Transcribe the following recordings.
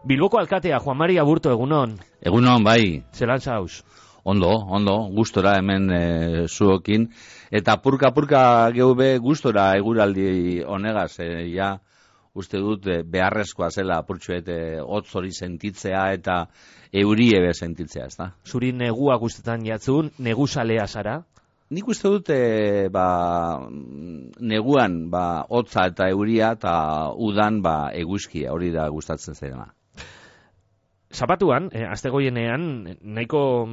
Bilboko alkatea, Juan Mari Aburto, egunon. Egunon, bai. Zelan zauz? Ondo, gustora hemen zuokin. Eta purka geube gustora eguraldi honegaz, ja uste dut beharrezkoa zela apurtxoet hotz hori sentitzea eta euri ebe sentitzea, ez da? Zuri negua gustetan jatzun, neguzalea zara? Nik uste dut, neguan, hotza eta euria eta udan, eguzkia, hori da gustatzen zaidana. Zapatuan, astegoienean, nahiko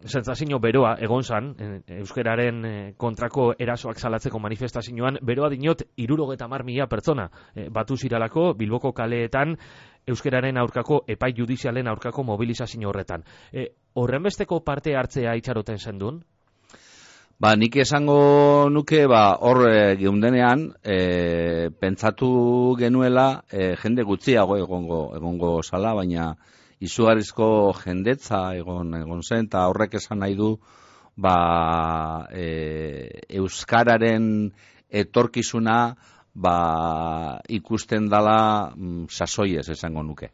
sentsazio beroa egon zan, euskararen kontrako erasoak salatzeko manifestazioan, beroa dinot 70.000 pertsona batu ziralako Bilboko kaleetan euskararen aurkako epai judizialen aurkako mobilizazio horretan. Horrenbesteko parte hartzea itxaroten zendun? Nik esango nuke, hor geundenean, pentsatu genuela, jende gutxiago egongo zala, baina izugarrizko jendetza egon zen, eta horrek esan nahi du, euskararen etorkizuna, ikusten dala sasoiez esango nuke.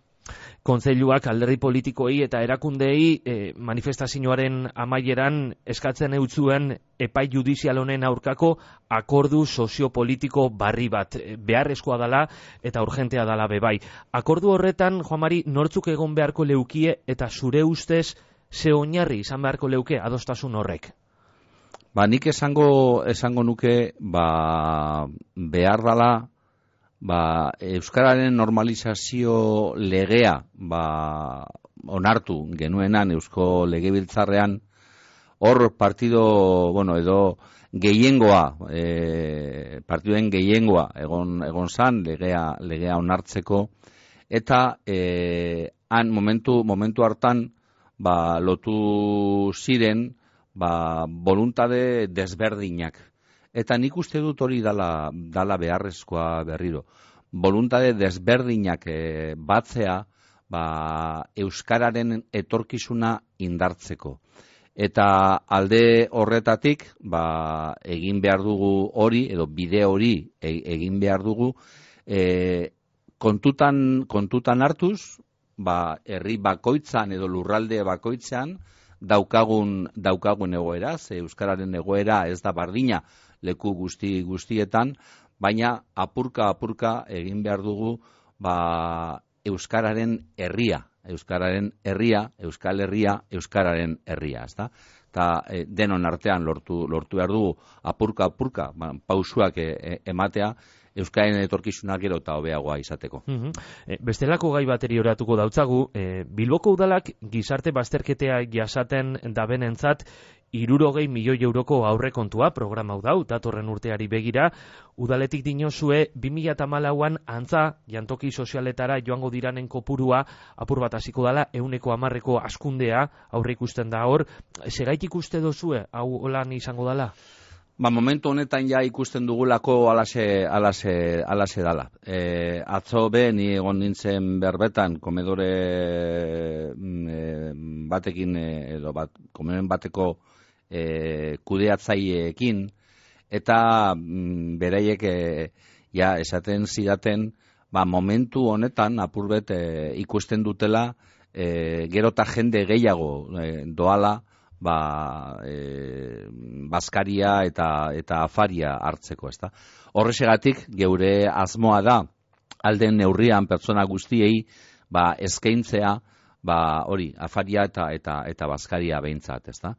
Kontseiluak alderdi politikoei eta erakundeei manifestazioaren amaieran eskatzen eutzuen epai judizial honen aurkako akordu soziopolitiko barri bat beharrezkoa dela eta urgentea dela bebai. Akordu horretan, Juan Mari, nortzuk egon beharko leukie eta zure ustez ze oinarri izan beharko leuke adostasun horrek? Nik esango nuke behar dela euskararen normalizazio legea onartu genuenan Eusko Legebiltzarrean, hor edo gehiengoa, partiduen gehiengoa egon zan legea onartzeko, eta momentu hartan lotu ziren voluntade desberdinak. Eta nik uste dut hori dala beharrezkoa berriro. Voluntade desberdinak batzea euskararen etorkizuna indartzeko. Eta alde horretatik egin behar dugu hori, edo bide hori egin behar dugu, kontutan hartuz, herri bakoitzan edo lurralde bakoitzean daukagun egoera, euskararen egoera ez da bardina leku guztietan, baina apurka egin behar dugu euskararen herria, Euskal Herria, euskararen herria, ezta? Eta denon artean lortu behar dugu apurka pausuak ematea, euskararen etorkizuna gero eta hobeagoa izateko. Bestelako gai bateri oratuko dautzagu, Bilboko udalak gizarte bazterketea jasaten dabenentzat 60 milioi euroko aurrekontua programa hau dau, datorren urteari begira, udaletik dinozue 2014an antza jantoki sozialetara joango diranen kopurua apur bat hasiko dala 110% hazkundea aurre ikusten da hor. Segaitik uste dozue hau holan izango dala? Momentu honetan ja ikusten dugulako alase dala. Atzo ni egon nintzen berbetan komedore batekin, edo komedore bateko kudeatzaileekin, eta beraiek esaten zidaten, momentu honetan apurbet ikusten dutela gero eta jende gehiago doala bazkaria eta afaria hartzeko, ezta? Horrexegatik geure asmoa da alden neurrian pertsona guztiei eskaintzea hori afaria eta bazkaria behintzat, ezta?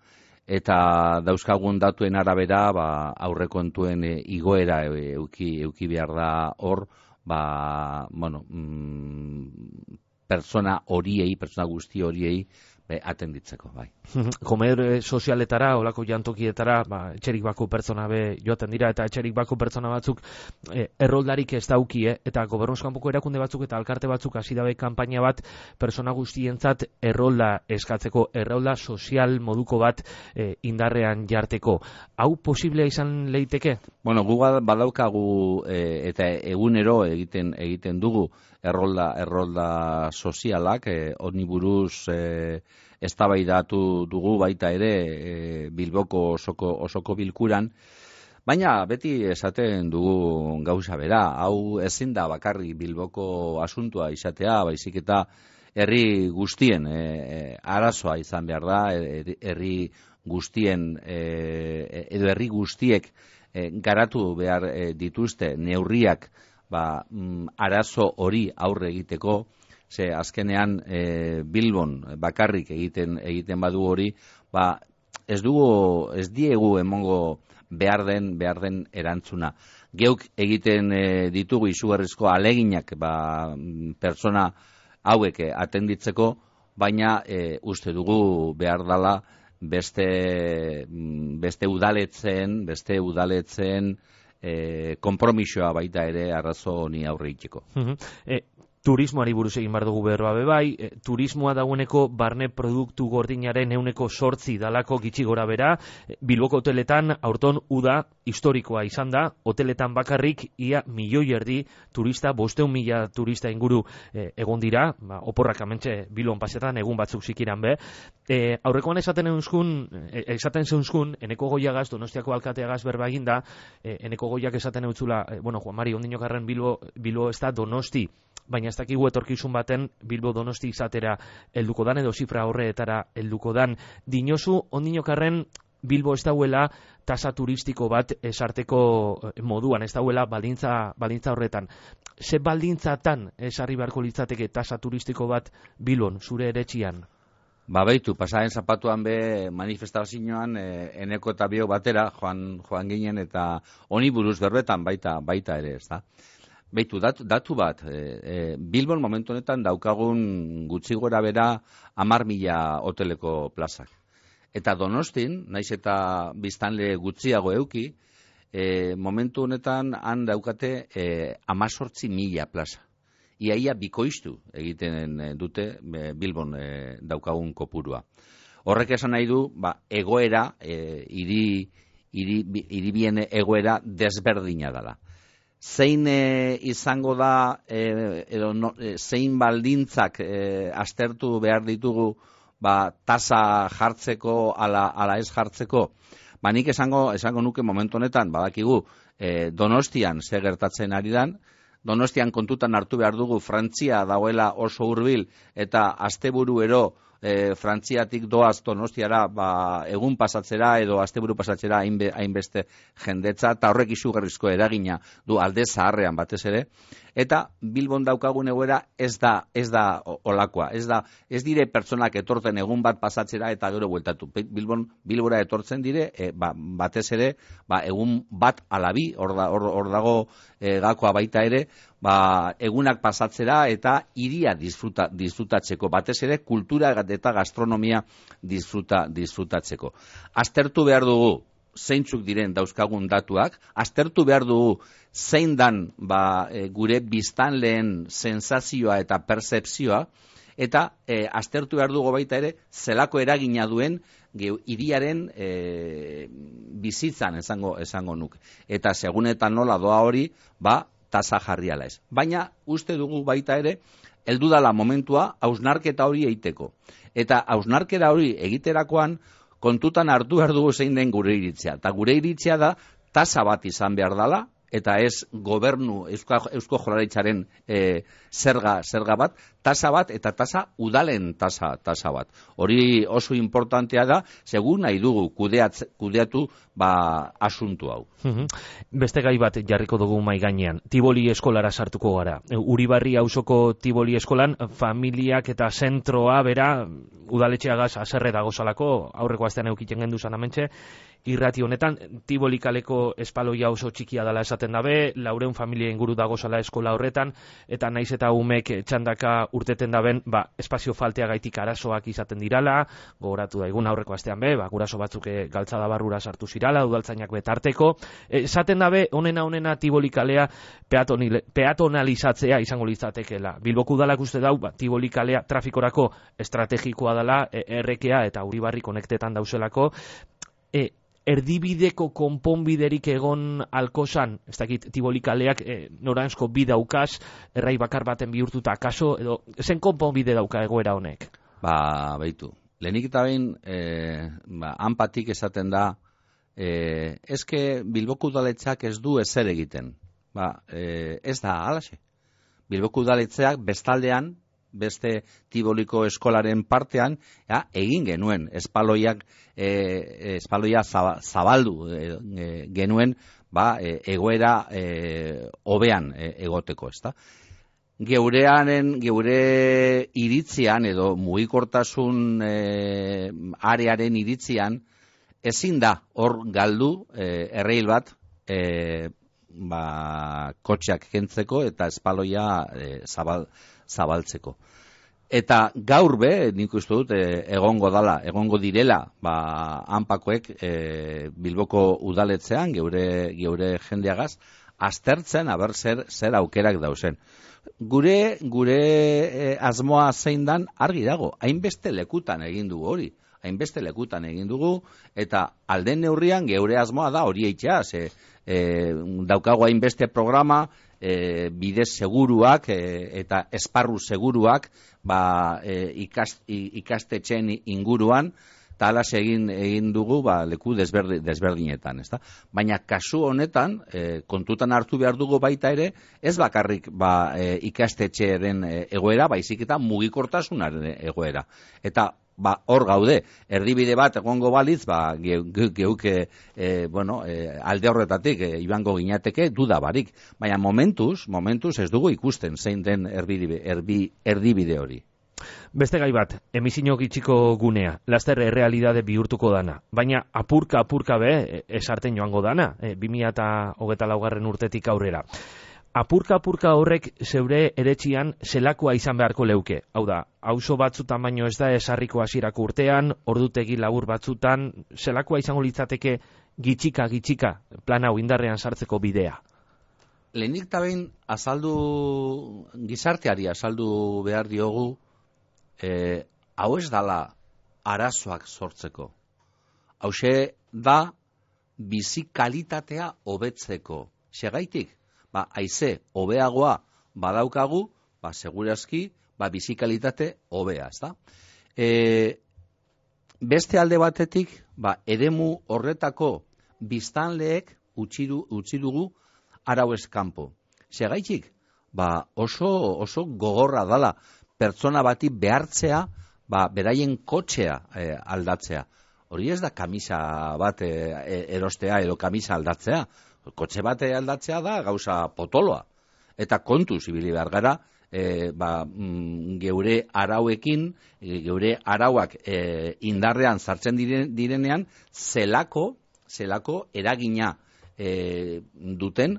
Eta dauzkagun datuen arabera aurrekontuen igoera euki behar da hor pertsona guzti horiei atenditzeko, bai. Komedore sozialetara, olako jantokietara, etxerik bako pertsona joaten dira, eta etxerik bako pertsona batzuk erroldarik ez daukie, eta gobernuz kanpoko erakunde batzuk eta alkarte batzuk hasi dabe kanpaina bat pertsona guztientzat errolda eskatzeko, errolda sozial moduko bat indarrean jarteko. Hau posiblea izan leiteke? Gu badaukagu eta egunero egiten dugu errolda sozialak, honi buruz eztabaidatu dugu baita ere Bilboko osoko bilkuran, baina beti esaten dugu gauza bera, hau ezin da bakarrik Bilboko asuntua izatea, baizik eta herri guztien arazoa izan behar da, herri guztien edo herri guztiek garatu behar dituzte neurriak arazo hori aurre egiteko, ze azkenean Bilbon bakarrik egiten badu hori, ez diegu emongo behar den erantzuna. Geuk egiten ditugu izugarrizko aleginak pertsona hauek atenditzeko, baina uste dugu behar dela beste udaletzen konpromisoa baita ere arazo honi aurre egiteko. Turismoari buruz egin behar dugu berba bai, turismoa dagoeneko barne produktu gordinaren 8% dalako gitxi gora bera, Bilboko hoteletan aurton uda historikoa izan da, hoteletan bakarrik ia 1,5 milioi turista, 500.000 turista inguru egon dira, oporrak amentxe Bilbon pasetan, egun batzuk zikiran be. Aurrekoan esaten zeunzkun, Eneko Goiagaz, Donostiako alkateagaz berba eginda, Eneko Goiak esaten eutzula, Juan Mari, Ondinokarren Bilbo ez da Donosti, baina ez dakigu etorkizun baten Bilbo Donosti izatera helduko dan edo zifra horretara helduko dan. Dinozu Ondinokarren Bilbo ez dauela tasa turistiko bat esarteko moduan, ez dauela baldintza horretan. Ze baldintzatan esarri beharko litzateke tasa turistiko bat Bilbon, zure eretxian? Baitu, pasaren zapatuan be manifestazioan Eneko eta biok batera joan ginen eta honi buruz berbetan baita ere, ez da. Beitu, datu bat, Bilbon momentu honetan daukagun gutxi gora bera 10.000 hoteleko plazak. Eta Donostin, naiz eta biztanle gutxiago euki, momentu honetan han daukate 18.000 plaza. Iaia bikoiztu egiten dute Bilbon daukagun kopurua. Horrek esan nahi du, egoera, hiribien egoera desberdina dela. Zein izango da, zein baldintzak aztertu behar ditugu tasa jartzeko ala ez jartzeko? Nik esango nuke momentu honetan, badakigu, Donostian ze gertatzen ari dan, Donostian kontutan hartu behar dugu Frantzia dagoela oso hurbil eta asteburuero Frantziatik doaz Donostiara egun pasatzera edo asteburu pasatzera hainbeste jendetza, eta horrek izugarrizko eragina du alde zaharrean batez ere, eta Bilbon daukagun egoera ez da olakoa, ez dire pertsonak etortzen egun bat pasatzera eta gero bueltatu. Bilbora etortzen dire, batez ere, egun bat alabi, hor dago gakoa baita ere, egunak pasatzera eta hiria disfrutatzeko, batez ere kultura eta gastronomia disfrutatzeko. Aztertu behar dugu zeintzuk diren dauzkagun datuak, aztertu behar dugu zein dan gure biztanleen sensazioa eta percepzioa, eta aztertu behar dugu baita ere zelako eragina duen hiriaren bizitzan esango nuke. Eta segunetan nola doa hori, tasa jarriala ez. Baina uste dugu baita ere, heldu dala momentua hausnarketa hori egiteko. Eta hausnarketa hori egiterakoan kontutan hartu behar dugu zein den gure iritzia. Eta gure iritzia da tasa bat izan behar dala, eta ez gobernu Eusko Jaurlaritzaren zerga bat, tasa bat eta udalen tasa bat. Hori oso importantea da, segun nahi dugu kudeatu asuntu hau. Beste gai bat jarriko dugu mai gainean. Tiboli eskolara sartuko gara. Uribarri auzoko Tiboli eskolan familiak eta zentroa bera udaletxeagaz haserre dagozalako, aurreko astean eukiten gendu zanamentxe, irrati honetan, Tiboli kaleko espaloia oso txikia dela esaten dabe, 400 familia inguru dagozala eskola horretan, eta naiz eta umek txandaka urteten daben, espazio falteagaitik arazoak izaten dirala, gogoratu daigun aurreko astean be, guraso batzuk galtzada barrura sartu zirala, udaltzainak betarteko, esaten dabe, onena Tiboli kalea peatonalizatzea izango litzatekeela. Bilboko udalak uste dau, Tiboli kalea trafikorako estrategikoa dela, errekea eta Uribarri konektetan dauzelako, erdibideko konponbiderik egon alkozan, ez dakit Tiboli kaleak noranzko bi daukaz, errai bakar baten bihurtuta akaso, edo zen konponbide dauka egoera honek? Baitu. Lehenik eta behin, hanpatik esaten da, eske Bilboko udaletxeak ez du ezer egiten. Ez da, alaxe. Bilboko udaletxeak bestaldean beste Tiboliko eskolaren partean, egin genuen, espaloia zabaldu genuen, egoera hobean egoteko, ezta? Geure iritzian edo mugikortasun arearen iritzian, ezin da hor galdu erreil bat kotxeak kentzeko eta espaloia zabaltzeko. Eta gaur nik uste dut, egongo direla, hanpakoek Bilboko udaletzean, geure jendeagaz, aztertzen, aber zer aukerak dauzen. Gure asmoa zein dan argi dago, hainbeste lekutan egin dugu hori. Eta alden neurrian geure asmoa da hori eitzea, daukago hainbeste programa, bide seguruak eta esparru seguruak ikastetxeen inguruan, eta alas egin dugu leku desberdinetan, ezta? Baina kasu honetan, kontutan hartu behar dugu baita ere, ez bakarrik ikastetxearen egoera, baizik eta mugikortasunaren egoera. Eta hor gaude, erdibide bat egongo balitz, geuke alde horretatik ibango ginateke duda barik. Baina momentuz ez dugu ikusten zein den erdibide hori. Beste gai bat, emisioak gitxiko gunea, laster errealidade bihurtuko dana, baina apurka esarten joango dana, 2024 urtetik aurrera. Apurka horrek zeure eretxian zelakoa izan beharko leuke. Hau da, auzo batzutan baino ez da esarriko hasierako urtean, ordutegi labur batzutan, zelakoa izango litzateke gitxika plan hau indarrean sartzeko bidea. Lehenik eta behin gizarteari azaldu behar diogu, hau ez dala arazoak sortzeko. Hauxe da bizi kalitatea hobetzeko. Segaitik? Haize hobeagoa badaukagu, segurazki, bizi kalitate hobea, ezta? Beste alde batetik, eremu horretako biztanleek utzi dugu arau eskampo. Segaitik? Oso gogorra dala pertsona bati behartzea, beraien kotxea aldatzea. Hori ez da kamisa bat erostea edo kamisa aldatzea. Kotxe bat aldatzea da gauza potoloa. Eta kontuz ibili behar gara, geure arauekin, geure arauak indarrean sartzen direnean, zelako eragina duten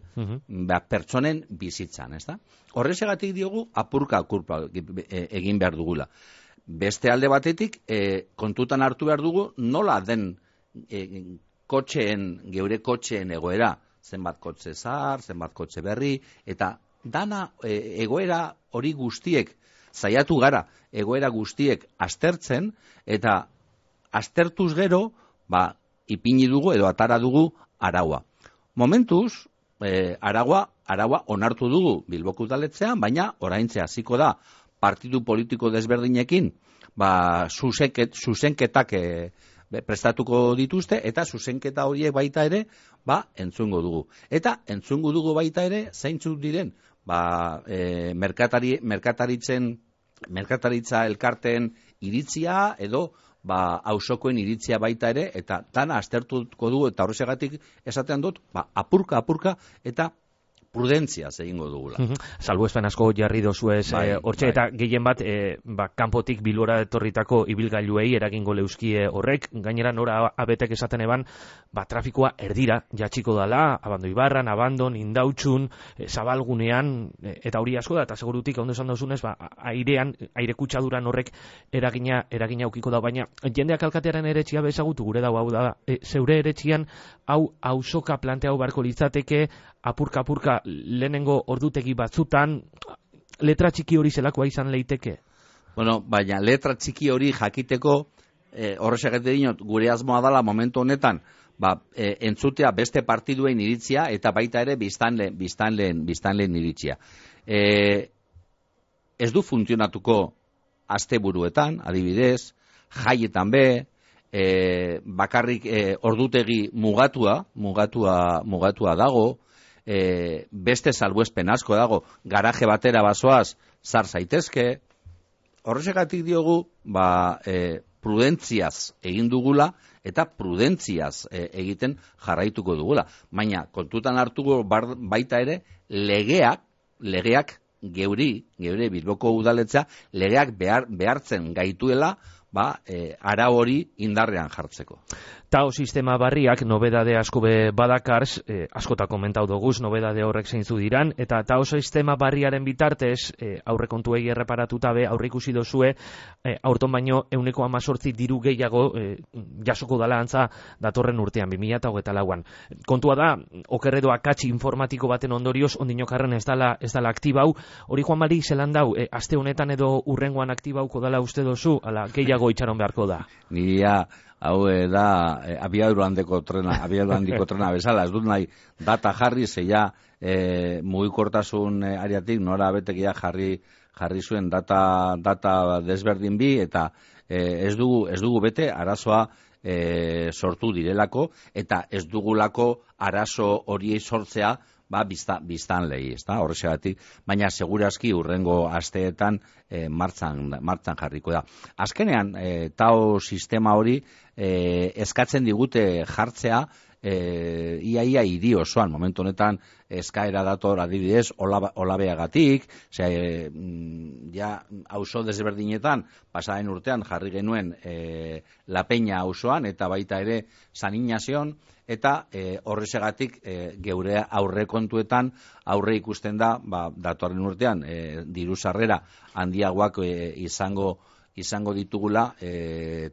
pertsonen bizitzan, ezta? Horrexegatik diogu apurka egin behar dugula. Beste alde batetik, kontutan hartu behar dugu, nola den geure kotxeen egoera, zenbat kotxe zahar, zenbat kotxe berri, eta dana egoera hori guztiek, saiatu gara, egoera guztiek aztertzen, eta aztertuz gero, ipini dugu edo atara dugu araua. Momentuz, araua onartu dugu Bilboko udaletzean, baina oraintxe hasiko da partidu politiko desberdinekin, zuzenketak prestatuko dituzte, eta zuzenketa horiek baita ere, entzungo dugu. Eta entzungo dugu baita ere, zeintzuk diren, merkataritza elkarteen iritzia, edo auzokoen iritzia baita ere, eta dana aztertuko dugu, eta horrexegatik esatean dut, apurka, eta prudentzia egingo dugula. Salbuespen asko jarri dozuez, hortxe eta gehien bat, kanpotik Bilbora etorritako ibilgailuei eragingo leuzkie horrek, gainera nora abetek esaten eban, trafikoa erdira jatxiko dala, Abandoibarran, Abandon, Indautxun, Zabalgunean, eta hori asko da, eta segurutik, ondo esan dauzunez, airean, aire kutsaduran horrek eragina ukiko da, baina jendeak alkatearen eretxia bezagutu gure dago, hau da, zeure eretxian, hau auzoka planteau barko litzateke, apurka lehenengo ordutegi batzutan, letra txiki hori zelakoa izan leiteke? Bueno, baina letra txiki hori jakiteko, horrexegatik dinot, gure asmoa dala momentu honetan, entzutea beste partiduen iritzia, eta baita ere biztanleen iritzia. Ez du funtzionatuko asteburuetan, adibidez, jaietan be, bakarrik ordutegi mugatua dago, beste salbuespen asko dago, garaje batera basoaz zar zaitezke, horrexegatik diogu, prudentziaz egin dugula, eta prudentziaz egiten jarraituko dugula. Baina, kontutan hartuko baita ere, legeak geure Bilboko udaletza, legeak behartzen gaituela, ara hori indarrean jartzeko. Tao sistema barriak nobedade asko badakars, askota komentau doguz, nobedade horrek zeintzu diran, eta tao sistema barriaren bitartez, aurrekontuei erreparatuta aurreikusi dozue, aurton baino 118 diru gehiago jasoko dala antza datorren urtean, 2024an. Kontua da, okerredo akatsi informatiko baten ondorioz, ondinokarren ez dala aktibau, hori Juan Mari zelan dau, aste honetan edo urrengoan aktibauko dala uste dozu, ala gehiago itxaron beharko da? Nirea, hau da abiadura handiko trena bezala, ez dut nahi data jarri, zeia mugikortasun ariatik nora betekia jarri zuen data desberdin bi, eta ez dugu bete arazoa sortu direlako, eta ez dugulako arazo horiei sortzea biztan lehi, horrexegatik, baina segurazki urrengo asteetan martzan jarriko da. Azkenean, tao sistema hori eskatzen digute jartzea iaia hiri osoan, momentu honetan eskaera dator adibidez olabeagatik, auzo desberdinetan pasaren urtean jarri genuen La Peña auzoan eta baita ere San Ignazion, eta horrexegatik geure aurrekontuetan aurre ikusten da datorren urtean diru sarrera handiagoak izango ditugula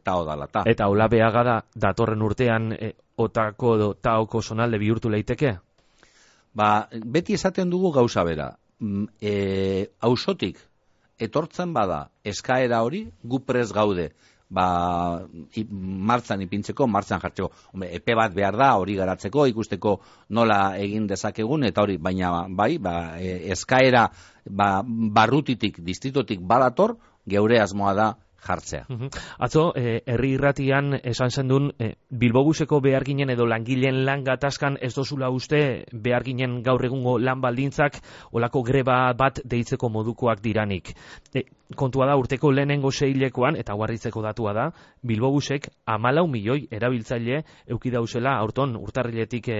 tao dalata. Eta Olabeaga da datorren urtean otako edo taoko zonalde bihurtu leiteke? Beti esaten dugu gauza bera. Auzotik etortzen bada eskaera hori, gu prest gaude martzan ipintzeko, martzan jartzeko. Epe bat behar da hori garatzeko, ikusteko nola egin dezakegun, eta hori, baina eskaera barrutitik, distritotik badator, geure asmoa da jartzea. Atzo, herri irratian esan zendun, Bilbobuseko beharginen edo langileen lan gatazkan ez dozula uste beharginen gaur egungo lan baldintzak olako greba bat deitzeko modukoak diranik. Kontua da urteko lehenengo seilekoan, eta guarritzeko datua da, Bilbobusek 14 milioi erabiltzaile eukidauzela aurton urtarriletik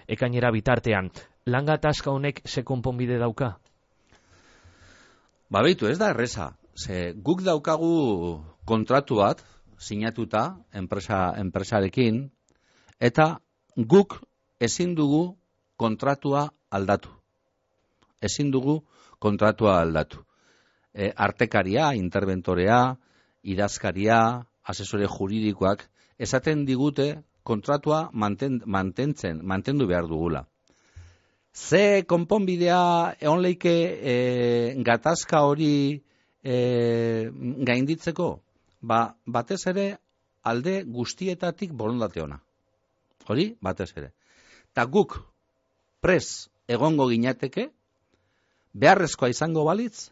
ekainera bitartean. Lan gatazka honek ze konponbide dauka? Beitu, ez da erreza. Guk daukagu kontratu bat sinatuta enpresarekin, eta guk ezin dugu kontratua aldatu. Artekaria, interventorea, idazkaria, asesore juridikoak esaten digute kontratua mantendu behar dugula. Ze konponbidea egon leike gatazka hori gainditzeko? Batez ere alde guztietatik borondate ona. Hori, batez ere. Ta guk pres egongo ginateke, beharrezkoa izango balitz,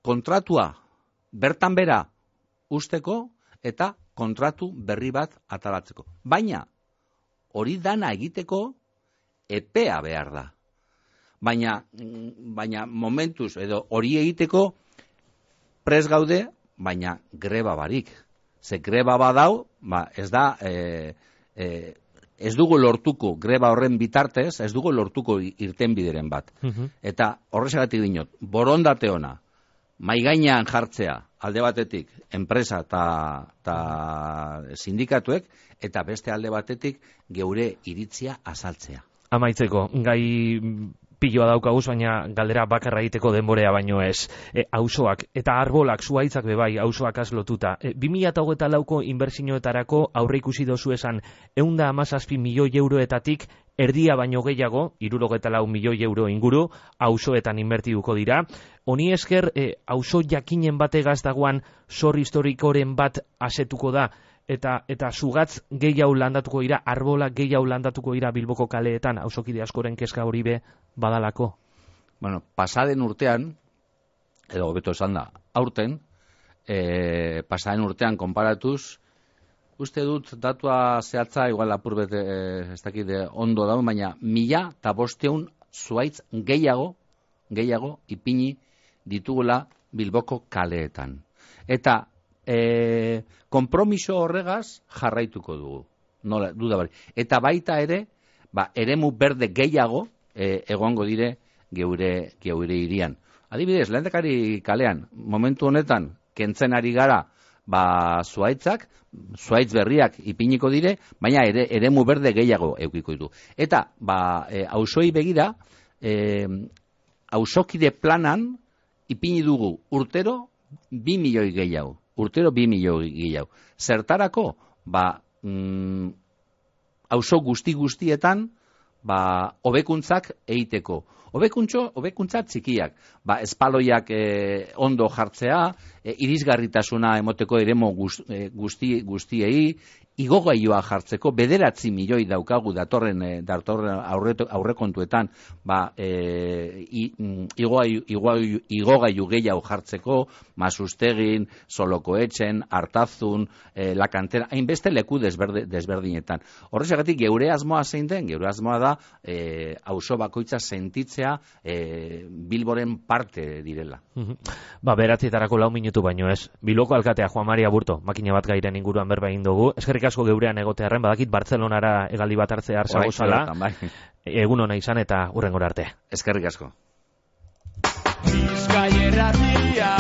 kontratua bertan bera usteko eta kontratu berri bat ataratzeko. Baina, hori dana egiteko epea behar da. Baina momentuz edo hori egiteko pres gaude, baina greba barik. Ze greba badau, ez dugu lortuko greba horren bitartez, ez dugu lortuko irtenbideren bat. Eta horrexegatik dinot, borondate ona, maigainean jartzea alde batetik enpresa eta sindikatuek, eta beste alde batetik geure iritzia azaltzea. Amaitzeko, gai piloa daukaguz, baina galdera bakarra egiteko denborea baino ez. Auzoak eta arbolak, zuhaitzak bebai, auzoak azlotuta. 2024ko inbertsioetarako aurre ikusi dozu esan 117 milioi euroetatik erdia baino gehiago, 64 milioi euro inguru, auzoetan inbertituko dira. Honi esker, auzo jakinen bategaz dagoan zor historikoren bat asetuko da, eta zugatz gehiago landatuko dira, arbola gehiago landatuko dira Bilboko kaleetan, auzokide askoren kezka hori be badalako. Bueno, pasaden urtean, edo hobeto esan da, aurten, pasaden urtean konparatuz, uste dut datua zehatza, igual apurbet ez dakide ondo dago, baina 1500 zuhaitz gehiago ipini ditugula Bilboko kaleetan. Eta konpromiso horregaz jarraituko dugu. Nola, duda bari. Eta baita ere, eremu berde gehiago egongo dire geure hirian. Adibidez, Lehendakari kalean, momentu honetan, kentzen ari gara, zuhaitz berriak ipiniko dire, baina eremu berde gehiago eukiko ditu. Eta, auzoi begira, auzokide planan ipini dugu urtero 2 milioi gehiago. Zertarako, auzo guztietan, hobekuntzak egiteko. Hobekuntza txikiak. Espaloiak ondo jartzea, irisgarritasuna emoteko eremu guztiei, igogailua jartzeko, 9 milioi daukagu datorren aurrekontuetan, igogailu gehiago jartzeko, Mazustegin, Solokoetxen, Artazun, La Kantera, hainbeste leku desberdinetan. Horrexegatik geure asmoa zein den, geure asmoa da auzo bakoitza sentitzea Bilboren parte direla. Beratzitarako 4 minutu baino ez. Bilboko alkatea Juan Mari Aburto, makina bat gairen inguruan berba egin dugu. Eskerrik asko geurean egotearren, badakit Bartzelonara hegaldi bat hartzea arzagozala. Egun ona izan eta hurrengora arte. Eskerrik asko. Bizkaia Irratia